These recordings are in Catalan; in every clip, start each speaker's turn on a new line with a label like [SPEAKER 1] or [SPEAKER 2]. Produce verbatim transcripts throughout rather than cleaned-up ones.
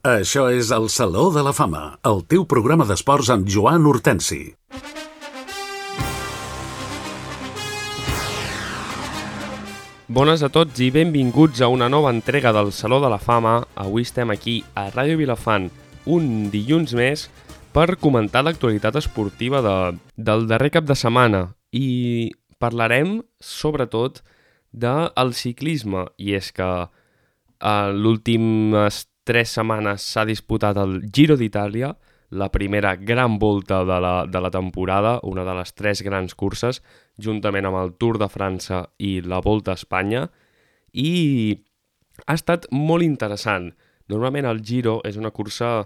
[SPEAKER 1] Això és el Saló de la Fama, el teu programa d'esports amb Joan Hortensi.
[SPEAKER 2] Bones a tots i benvinguts a una nova entrega del Saló de la Fama. Avui estem aquí a Ràdio Vilafant un dilluns més per comentar l'actualitat esportiva de, del darrer cap de setmana i parlarem sobretot del ciclisme, i és que eh, l'últimes tres setmanes s'ha disputat el Giro d'Itàlia, la primera gran volta de la, de la temporada, una de les tres grans curses, juntament amb el Tour de França i la Volta a Espanya, i ha estat molt interessant. Normalment el Giro és una cursa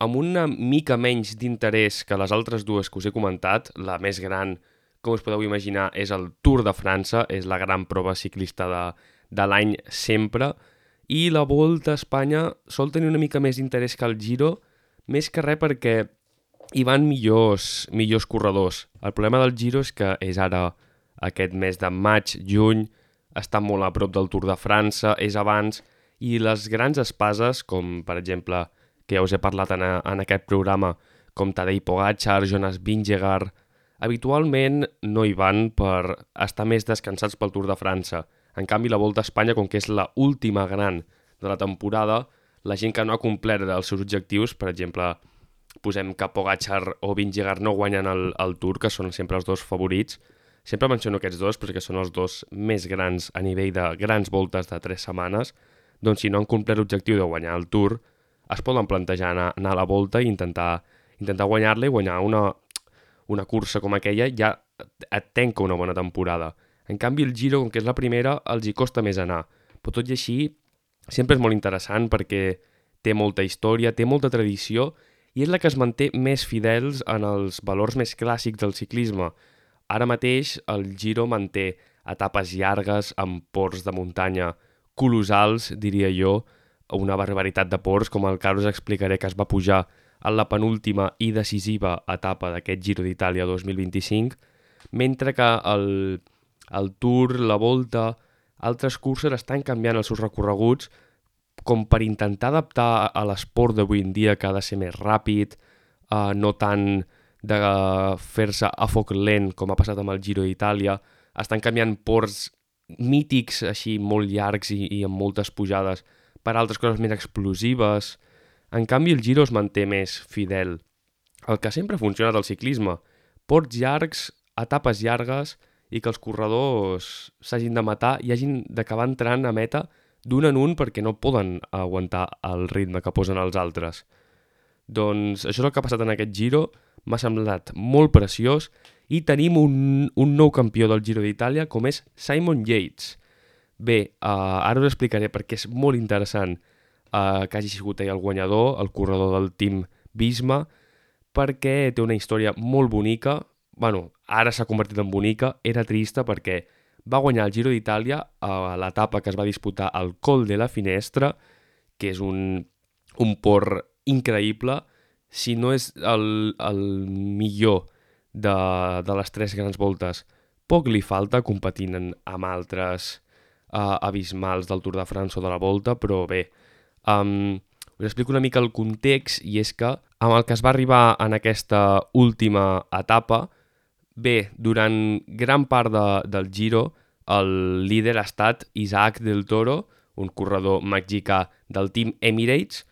[SPEAKER 2] amb una mica menys d'interès que les altres dues que us he comentat. La més gran, com us podeu imaginar, és el Tour de França, és la gran prova ciclista de, de l'any sempre, i la Volta a Espanya sol tenir una mica més d'interès que el Giro, més que res perquè hi van millors, millors corredors. El problema del Giro és que és ara aquest mes de maig, juny, està molt a prop del Tour de França, és abans, i les grans espases, com per exemple, que ja us he parlat en, a, en aquest programa, com Tadej Pogačar, Jonas Vingegaard, habitualment no hi van per estar més descansats pel Tour de França. En canvi, la Volta a Espanya, com que és la última gran de la temporada, la gent que no ha complert els seus objectius, per exemple, posem que Pogačar o Vingegaard no guanyen el, el Tour, que són sempre els dos favorits. Sempre menciono aquests dos perquè són els dos més grans a nivell de grans voltes de tres setmanes. Doncs si no han complert l'objectiu de guanyar el Tour, es poden plantejar anar, anar a la Volta i intentar, intentar guanyar-la i guanyar una, una cursa com aquella ja et tenca una bona temporada. En canvi, el Giro, com que és la primera, els hi costa més anar. Però tot i així, sempre és molt interessant perquè té molta història, té molta tradició i és la que es manté més fidels en els valors més clàssics del ciclisme. Ara mateix el Giro manté etapes llargues amb ports de muntanya colossals, diria jo, una barbaritat de ports, com el que ara us explicaré, que es va pujar en la penúltima i decisiva etapa d'aquest Giro d'Itàlia dos mil vint-i-cinc, mentre que el, el Tour, la Volta, altres curses estan canviant els seus recorreguts com per intentar adaptar a l'esport d'avui en dia, que ha de ser més ràpid, eh, no tant de fer-se a foc lent com ha passat amb el Giro d'Itàlia. Estan canviant ports mítics, així molt llargs i, i amb moltes pujades, per altres coses més explosives. En canvi, el Giro es manté més fidel. El que sempre ha funcionat al ciclisme, ports llargs, etapes llargues, i que els corredors s'hagin de matar i hagin d'acabar entrant a meta d'un en un perquè no poden aguantar el ritme que posen els altres. Doncs això és el que ha passat en aquest Giro, m'ha semblat molt preciós, i tenim un, un nou campió del Giro d'Itàlia com és Simon Yates. Bé, uh, ara us explicaré perquè és molt interessant uh, que hagi sigut ell el guanyador, el corredor del Team Visma, perquè té una història molt bonica. Bueno, ara s'ha convertit en bonica, era trista perquè va guanyar el Giro d'Itàlia a l'etapa que es va disputar al Col de la Finestra, que és un, un port increïble, si no és el, el millor de, de les tres grans voltes. Poc li falta competint en, amb altres uh, abismals del Tour de França o de la Volta, però bé, um, us explico una mica el context, i és que amb el que es va arribar en aquesta última etapa, bé, durant gran part de, del Giro, el líder ha estat Isaac del Toro, un corredor mexicà del Team Emirates,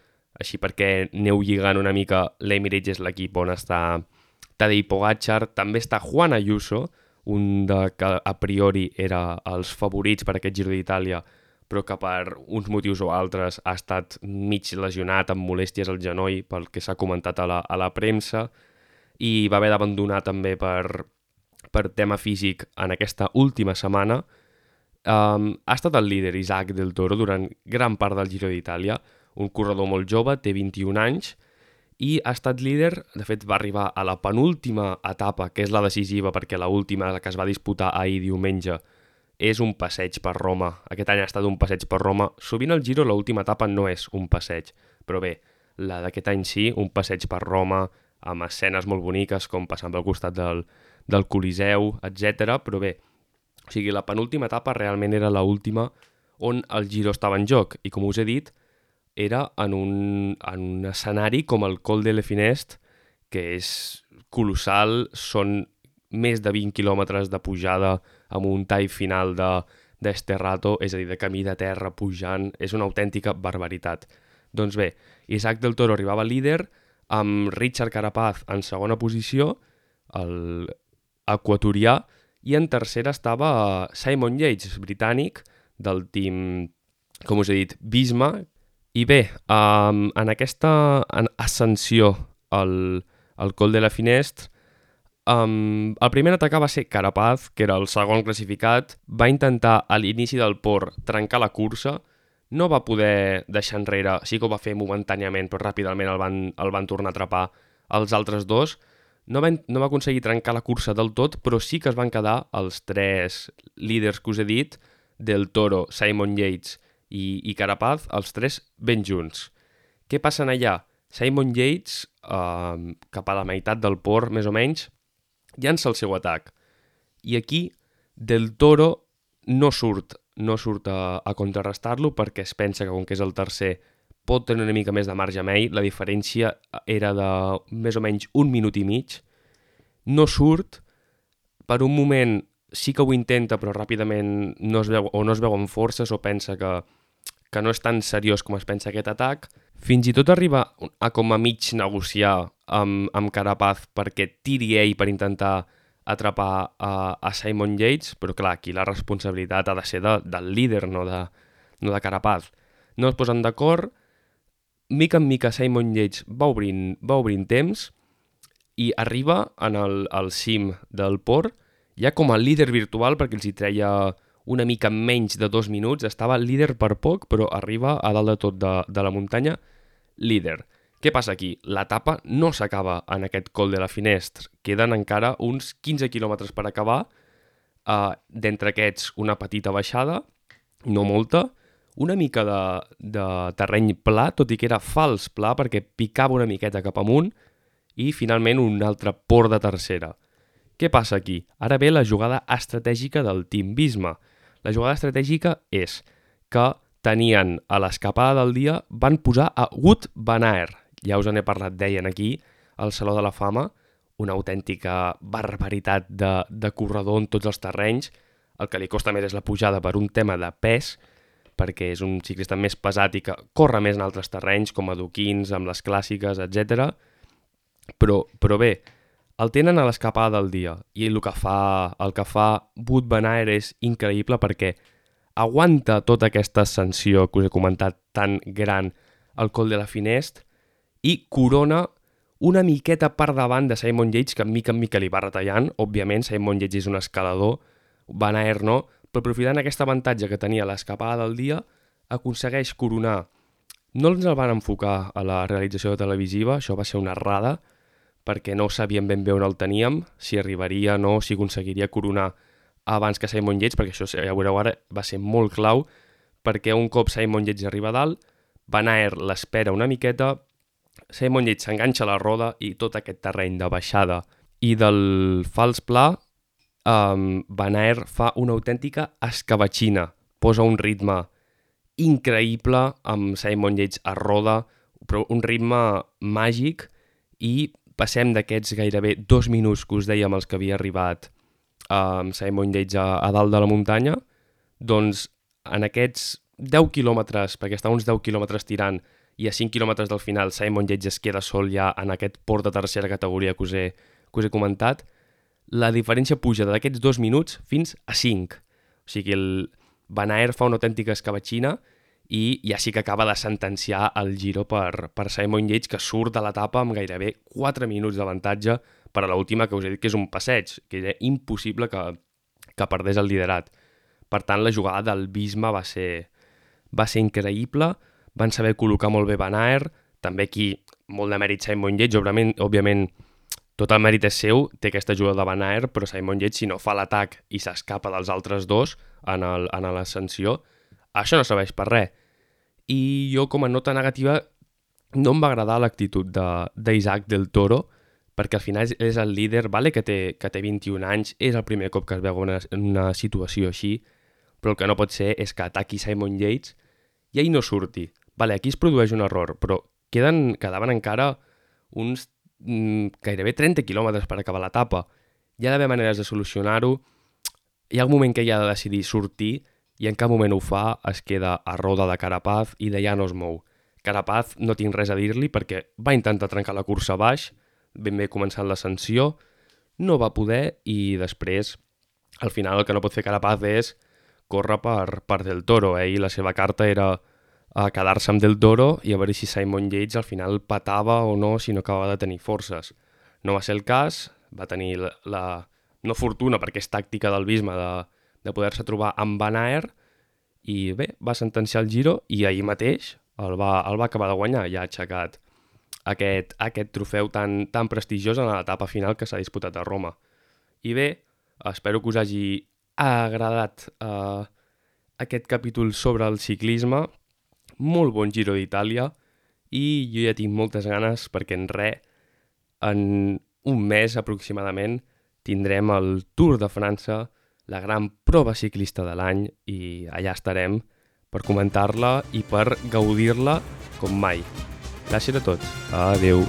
[SPEAKER 2] així perquè aneu lligant una mica, l'Emirates és l'equip on està Tadej Pogačar, també està Juan Ayuso, un de que a priori era els favorits per aquest Giro d'Itàlia, però que per uns motius o altres ha estat mig lesionat amb molèsties al genoll, pel que s'ha comentat a la, a la premsa, i va haver d'abandonar també per, per tema físic en aquesta última setmana. Um, ha estat el líder Isaac del Toro durant gran part del Giro d'Itàlia, un corredor molt jove, té vint-i-un anys, i ha estat líder. De fet va arribar a la penúltima etapa, que és la decisiva perquè l'última, la que es va disputar ahir diumenge, és un passeig per Roma. Aquest any ha estat un passeig per Roma. Sovint al Giro l'última etapa no és un passeig, però bé, la d'aquest any sí, un passeig per Roma, amb escenes molt boniques com passant pel costat del, del Coliseu, etcètera. Però bé, o sigui, la penúltima etapa realment era l'última on el Giro estava en joc, i com us he dit, era en un, en un escenari com el Col de l'Efinest, que és colossal, són més de vint quilòmetres de pujada amb un tall final de d'Esterrato, és a dir, de camí de terra pujant, és una autèntica barbaritat. Doncs bé, Isaac del Toro arribava líder, amb Richard Carapaz en segona posició, el equatorià, i en tercera estava Simon Yates, britànic, del team, com us he dit, Visma. I bé, um, en aquesta ascensió al, al Col de l'Efinest, um, el primer a atacar va ser Carapaz, que era el segon classificat. Va intentar a l'inici del Por trencar la cursa, no va poder deixar enrere, sí que ho va fer momentàniament, però ràpidament el van, el van tornar a atrapar els altres dos. No va, no va aconseguir trencar la cursa del tot, però sí que es van quedar els tres líders que us he dit, Del Toro, Simon Yates i, i Carapaz, els tres ben junts. Què passa allà? Simon Yates, eh, cap a la meitat del Por, més o menys, llança el seu atac. I aquí Del Toro no surt, no surt a, a contrarrestar-lo perquè es pensa que com que és el tercer pot tenir una mica més de marge amb ell. La diferència era de més o menys un minut i mig. No surt, per un moment sí que ho intenta, però ràpidament no es veu, o no es veu amb forces o pensa que, que no és tan seriós com es pensa aquest atac. Fins i tot arriba a com a mig negociar amb, amb Carapaz perquè tiri ell per intentar atrapar a, a Simon Yates, però clar, aquí la responsabilitat ha de ser de, del líder, no de, no de Carapaz. No es posen d'acord, mica en mica Simon Yates va obrint, va obrint temps i arriba en el, el cim del Por, ja com a líder virtual, perquè els hi treia una mica menys de dos minuts, estava líder per poc, però arriba a dalt de tot de, de la muntanya, líder. Què passa aquí? L'etapa no s'acaba en aquest Col de l'Efinest, queden encara uns quinze quilòmetres per acabar, uh, d'entre aquests una petita baixada, no molta, una mica de, de terreny pla, tot i que era fals pla perquè picava una miqueta cap amunt, i finalment un altre Por de tercera. Què passa aquí? Ara ve la jugada estratègica del Team Visma. La jugada estratègica és que tenien a l'escapada del dia, van posar a Wout van Aert. Ja us en he parlat, deien aquí, al Saló de la Fama, una autèntica barbaritat de, de corredor en tots els terrenys. El que li costa més és la pujada per un tema de pes, perquè és un ciclista més pesat i que corre més en altres terrenys, com adoquins, amb les clàssiques, etcètera. Però, però bé, el tenen a l'escapada del dia i el que fa, el que fa Wout van Aert és increïble perquè aguanta tota aquesta ascensió que us he comentat tan gran al Col de l'Efinest i corona una miqueta per davant de Simon Yates, que mica en mica li va retallant. Òbviament, Simon Yates és un escalador, Van Aert no, però aprofitant aquest avantatge que tenia a l'escapada del dia, aconsegueix coronar. No ens el van enfocar a la realització televisiva, això va ser una errada, perquè no sabíem ben bé on el teníem, si arribaria o no, si aconseguiria coronar abans que Simon Yates, perquè això, ja veureu ara, va ser molt clau, perquè un cop Simon Yates arriba a dalt, Van Aert l'espera una miqueta, Simon Yates s'enganxa a la roda i tot aquest terreny de baixada i del fals pla, um, Van Aert fa una autèntica escabatxina, posa un ritme increïble amb Simon Yates a roda, però un ritme màgic, i passem d'aquests gairebé dos minuts que us dèiem els que havia arribat um, Simon Yates a, a dalt de la muntanya, doncs en aquests deu quilòmetres, perquè està uns deu quilòmetres tirant, i a cinc quilòmetres del final Simon Yates es queda sol ja en aquest Por de tercera categoria que us he, que us he comentat, la diferència puja d'aquests dos minuts fins a cinc. O sigui, el Van Aert fa una autèntica escabatxina i ja sí que acaba de sentenciar el Giro per, per Simon Yates, que surt de l'etapa amb gairebé quatre minuts d'avantatge per a l'última, que us he dit que és un passeig, que era impossible que, que perdés el liderat. Per tant, la jugada del Visma va ser, va ser increïble, van saber col·locar molt bé Van Aert, també aquí molt de mèrit Simon Yates, òbviament, òbviament tot el mèrit és seu, té aquesta jugada de Van Aert, però Simon Yates, si no fa l'atac i s'escapa dels altres dos en l'ascensió, això no serveix per res. I jo, com a nota negativa, no em va agradar l'actitud d'Isaac del Toro, perquè al final és el líder, vale que té, que té vint-i-un anys, és el primer cop que es veu una, en una situació així, però el que no pot ser és que ataqui Simon Yates i ell no surti. Vale, aquí es produeix un error, però queden, quedaven encara uns mm, gairebé trenta quilòmetres per acabar l'etapa. Hi ha d'haver maneres de solucionar-ho. Hi ha un moment que hi ha de decidir sortir i en cap moment ho fa, es queda a roda de Carapaz i d'allà no es mou. Carapaz no tinc res a dir-li perquè va intentar trencar la cursa a baix, ben bé començant l'ascensió, no va poder i després, al final, el que no pot fer Carapaz és córrer per, per Del Toro. Eh? I la seva carta era a quedar-se amb Del Toro i a veure si Simon Yates al final patava o no, si no acabava de tenir forces. No va ser el cas, va tenir la, la no fortuna, perquè és tàctica del Visma, de, de poder-se trobar amb Van Aert, i bé, va sentenciar el Giro i ahir mateix el va, el va acabar de guanyar, ja ha aixecat aquest, aquest trofeu tan, tan prestigiós en l'etapa final que s'ha disputat a Roma. I bé, espero que us hagi agradat eh, aquest capítol sobre el ciclisme, molt bon Giro d'Itàlia, i jo ja tinc moltes ganes perquè en res, en un mes aproximadament, tindrem el Tour de França, la gran prova ciclista de l'any, i allà estarem per comentar-la i per gaudir-la com mai. Gràcies a tots. Adeu.